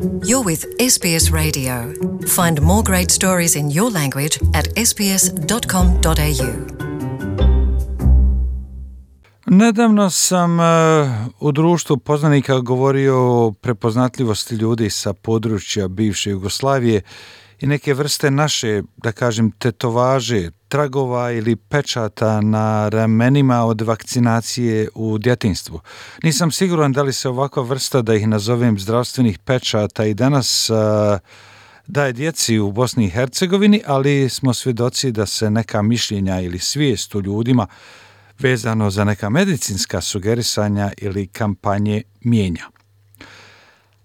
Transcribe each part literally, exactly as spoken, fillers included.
You're with S B S Radio. Find more great stories in your language at s b s dot com dot a u. Nedavno sam uh, u društvu poznanika govorio o prepoznatljivosti ljudi sa područja bivše Jugoslavije i neke vrste naše, da kažem, tetovaže, tragova ili pečata na ramenima od vakcinacije u djetinjstvu. Nisam siguran da li se ovakva vrsta, da ih nazovem zdravstvenih pečata, i danas uh, daje djeci u Bosni i Hercegovini, ali smo svjedoci da se neka mišljenja ili svijest u ljudima vezano za neka medicinska sugerisanja ili kampanje mijenja.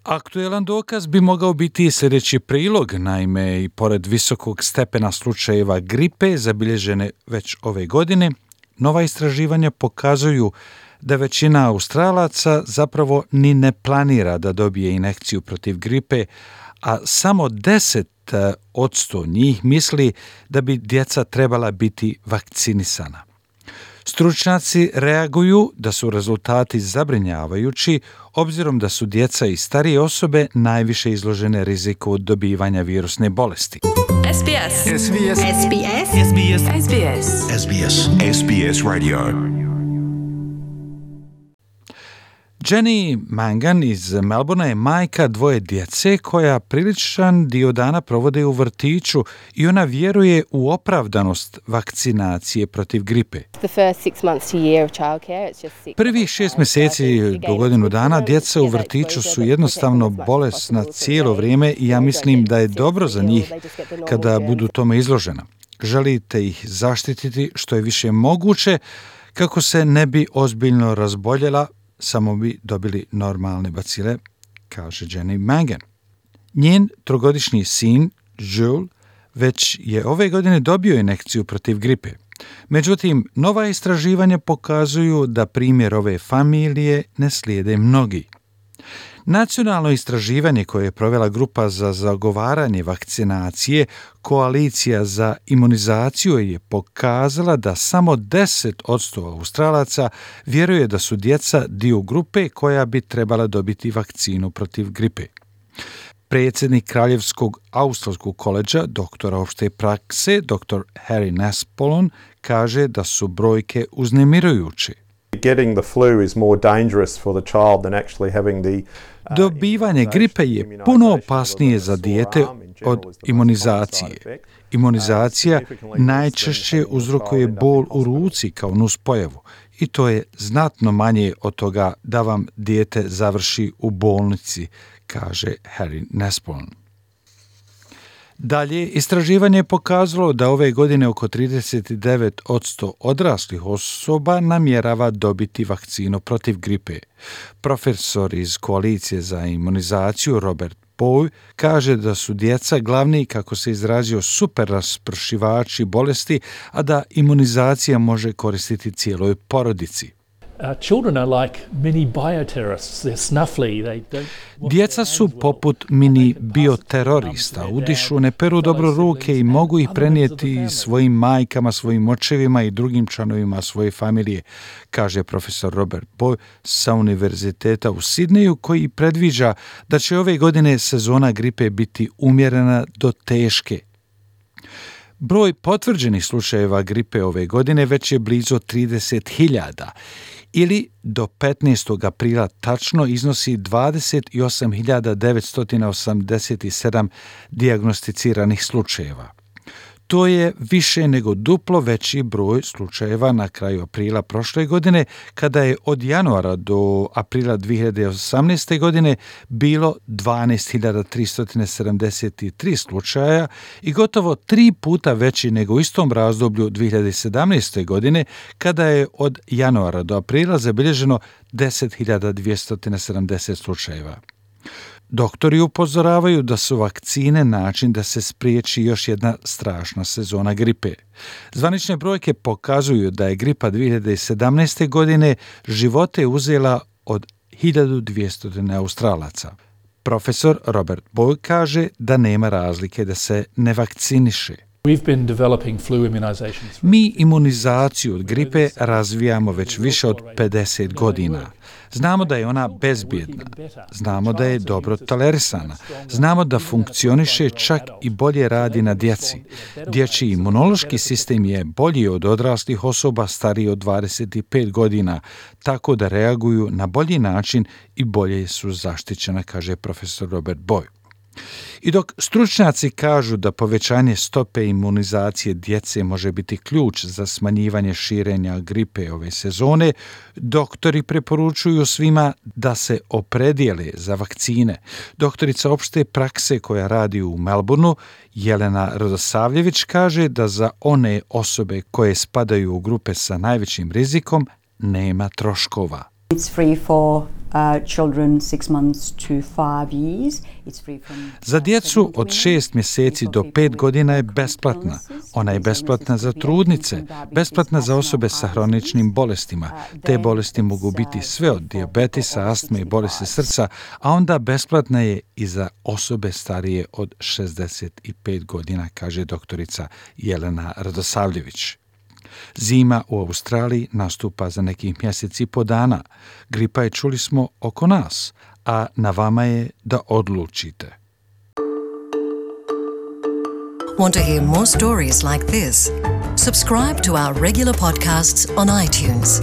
Aktuelan dokaz bi mogao biti sljedeći prilog, naime i pored visokog stepena slučajeva gripe zabilježene već ove godine, nova istraživanja pokazuju da većina Australaca zapravo ni ne planira da dobije injekciju protiv gripe, a samo deset posto njih misli da bi djeca trebala biti vakcinisana. Stručnjaci reaguju da su rezultati zabrinjavajući, obzirom da su djeca i starije osobe najviše izložene riziku od dobivanja virusne bolesti. S B S. S B S. S B S. S B S. S B S. S B S. S B S Radio. Jenny Mangan iz Melbourna je majka dvoje djece koja priličan dio dana provode u vrtiću i ona vjeruje u opravdanost vakcinacije protiv gripe. Prvih šest mjeseci do godinu dana djeca u vrtiću su jednostavno bolesna cijelo vrijeme i ja mislim da je dobro za njih kada budu tome izložena. Želite ih zaštititi što je više moguće kako se ne bi ozbiljno razboljela, samo bi dobili normalne bacile, kaže Jenny Mangan. Njen trogodišnji sin, Jules, već je ove godine dobio injekciju protiv gripe. Međutim, nova istraživanja pokazuju da primjer ove familije ne slijede mnogi. Nacionalno istraživanje koje je provela grupa za zagovaranje vakcinacije, Koalicija za imunizaciju, je pokazala da samo deset posto Australaca vjeruje da su djeca dio grupe koja bi trebala dobiti vakcinu protiv gripe. Predsjednik Kraljevskog australskog koledža, doktora opšte prakse, doktor Harry Nespolon, kaže da su brojke uznemirujuće. Getting the flu is more dangerous for the child than actually having the Dobivanje gripe je puno opasnije za dijete od imunizacije. Imunizacija najčešće uzrokuje bol u ruci kao nuspojavu i to je znatno manje od toga da vam dijete završi u bolnici, kaže Harry Nespolon. Dalje, istraživanje je pokazalo da ove godine oko trideset devet posto odraslih osoba namjerava dobiti vakcinu protiv gripe. Profesor iz Koalicije za imunizaciju Robert Boy kaže da su djeca glavni, kako se izrazio, super raspršivači bolesti, a da imunizacija može koristiti cijeloj porodici. Djeca su poput mini bioterorista, udišu, ne peru dobro ruke i mogu ih prenijeti svojim majkama, svojim očevima i drugim članovima svoje familije, kaže profesor Robert Boy sa Univerziteta u Sidneju, koji predviđa da će ove godine sezona gripe biti umjerena do teške. Broj potvrđenih slučajeva gripe ove godine već je blizu trideset hiljada, ili do petnaestog aprila tačno iznosi dvadeset osam hiljada devetsto osamdeset sedam dijagnosticiranih slučajeva. To je više nego duplo veći broj slučajeva na kraju aprila prošle godine, kada je od januara do aprila dvije hiljade osamnaeste. godine bilo dvanaest hiljada tristo sedamdeset tri slučaja i gotovo tri puta veći nego u istom razdoblju dvije hiljade sedamnaeste. godine, kada je od januara do aprila zabilježeno deset hiljada dvjesto sedamdeset slučajeva. Doktori upozoravaju da su vakcine način da se spriječi još jedna strašna sezona gripe. Zvanične brojke pokazuju da je gripa dvije hiljade sedamnaeste. godine živote uzela od hiljadu dvjesto Australaca. Profesor Robert Boy kaže da nema razlike da se ne vakciniše. Mi imunizaciju od gripe razvijamo već više od pedeset godina. Znamo da je ona bezbjedna. Znamo da je dobro tolerisana. Znamo da funkcioniše, čak i bolje radi na djeci. Dječji imunološki sistem je bolji od odraslih osoba stariji od dvadeset pet godina, tako da reaguju na bolji način i bolje su zaštićena, kaže profesor Robert Boy. I dok stručnjaci kažu da povećanje stope imunizacije djece može biti ključ za smanjivanje širenja gripe ove sezone, doktori preporučuju svima da se opredijele za vakcine. Doktorica opšte prakse koja radi u Melbourneu, Jelena Radosavljević, kaže da za one osobe koje spadaju u grupe sa najvećim rizikom nema troškova. It's free for uh, children six months to five years. It's free from Za djecu od šest mjeseci do pet godina je besplatna. Ona je besplatna za trudnice, besplatna za osobe sa hroničnim bolestima. Te bolesti mogu biti sve od dijabetisa, astme i bolesti srca, a onda besplatna je i za osobe starije od šezdeset pet godina, kaže doktorica Jelena Radosavljević. Zima u Australiji nastupa za nekih mjesec i po dana. Gripa je, čuli smo, oko nas, a na vama je da odlučite. Want to hear more stories like this? Subscribe to our regular podcasts on iTunes.